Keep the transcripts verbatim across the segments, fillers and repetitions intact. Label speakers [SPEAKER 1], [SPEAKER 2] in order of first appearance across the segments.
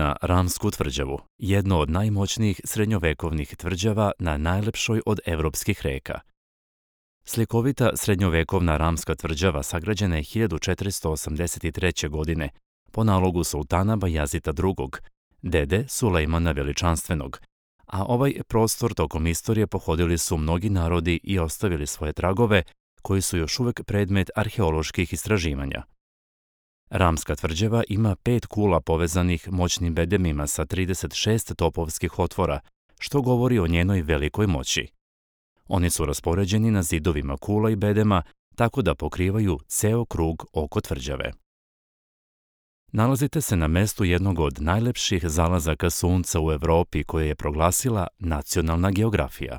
[SPEAKER 1] Na Ramsku tvrđavu, jedno od najmoćnijih srednjovekovnih tvrđava na najlepšoj od evropskih reka. Slikovita srednjovekovna Ramska tvrđava sagrađena je hiljadu četiristo osamdeset treće. godine po nalogu sultana Bajazita drugog., dede Sulejmana Veličanstvenog, a ovaj prostor tokom istorije pohodili su mnogi narodi i ostavili svoje tragove koji su još uvek predmet arheoloških istraživanja. Ramska tvrđava ima pet kula povezanih moćnim bedemima sa trideset šest topovskih otvora, što govori o njenoj velikoj moći. Oni su raspoređeni na zidovima kula i bedema, tako da pokrivaju ceo krug oko tvrđave. Nalazite se na mestu jednog od najlepših zalazaka sunca u Evropi koje je proglasila Nacionalna geografija.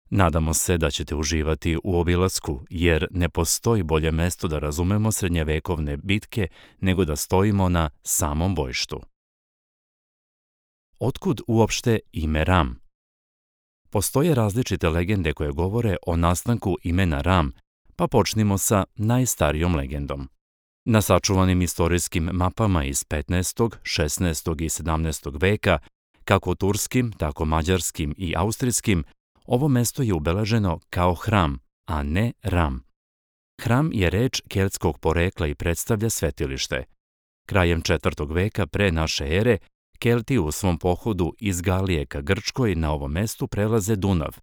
[SPEAKER 1] Nadamo se da ćete uživati u obilasku, jer ne postoji bolje mesto da razumemo srednjevekovne bitke nego da stojimo na samom bojištu. Otkud uopšte ime Ram? Postoje različite legende koje govore o nastanku imena Ram, pa počnimo sa najstarijom legendom. Na sačuvanim istorijskim mapama iz petnaestog., šesnaestog. i sedamnaestog. veka, kako turskim, tako mađarskim i austrijskim, ovo mesto je ubeleženo kao hram, a ne Ram. Hram je reč keltskog porekla i predstavlja svetilište. Krajem četvrtog. veka pre naše ere, Kelti u svom pohodu iz Galije ka Grčkoj na ovom mestu prelaze Dunav.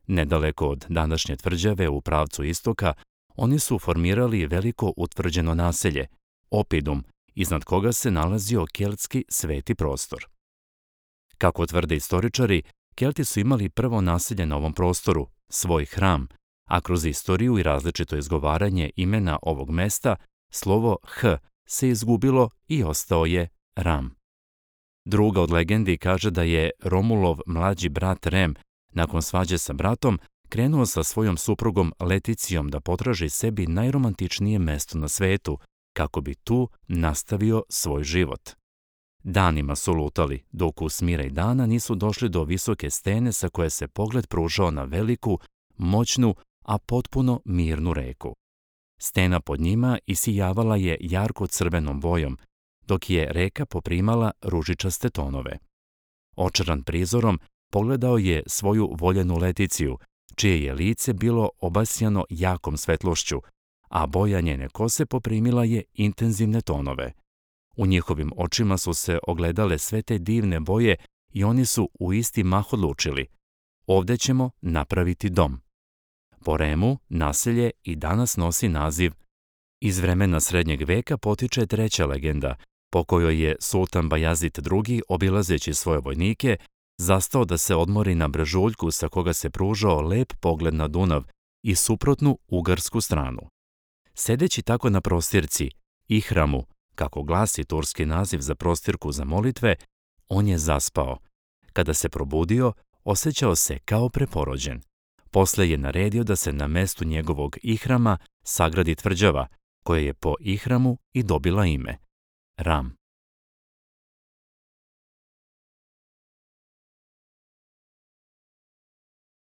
[SPEAKER 1] Nedaleko od današnje tvrđave u pravcu istoka, oni su formirali veliko utvrđeno naselje, Opidum, iznad koga se nalazio keltski sveti prostor. Kako tvrde istoričari, Kelti su imali prvo naselje na ovom prostoru, svoj hram, a kroz istoriju i različito izgovaranje imena ovog mesta, slovo H se izgubilo i ostao je Ram. Druga od legendi kaže da je Romulov mlađi brat Rem, nakon svađe sa bratom, krenuo sa svojom suprugom Leticijom da potraži sebi najromantičnije mesto na svetu, kako bi tu nastavio svoj život. Danima su lutali, dok u smiraj dana nisu došli do visoke stene sa koje se pogled pružao na veliku, moćnu, a potpuno mirnu reku. Stena pod njima isijavala je jarko crvenom bojom, dok je reka poprimala ružičaste tonove. Očaran prizorom, pogledao je svoju voljenu Leticiju, čije je lice bilo obasjano jakom svetlošću, a boja njene kose poprimila je intenzivne tonove. U njihovim očima su se ogledale sve te divne boje i oni su u isti mah odlučili: ovde ćemo napraviti dom. Po Remu naselje i danas nosi naziv. Iz vremena srednjeg veka potiče treća legenda, po kojoj je sultan Bajazit drugi, obilazeći svoje vojnike, zastao da se odmori na brežuljku sa koga se pružao lep pogled na Dunav i suprotnu ugarsku stranu. Sedeći tako na prostirci, ihramu, kako glasi turski naziv za prostirku za molitve, on je zaspao. Kada se probudio, osjećao se kao preporođen. Posle je naredio da se na mestu njegovog ihrama sagradi tvrđava, koja je po ihramu i dobila ime Ram.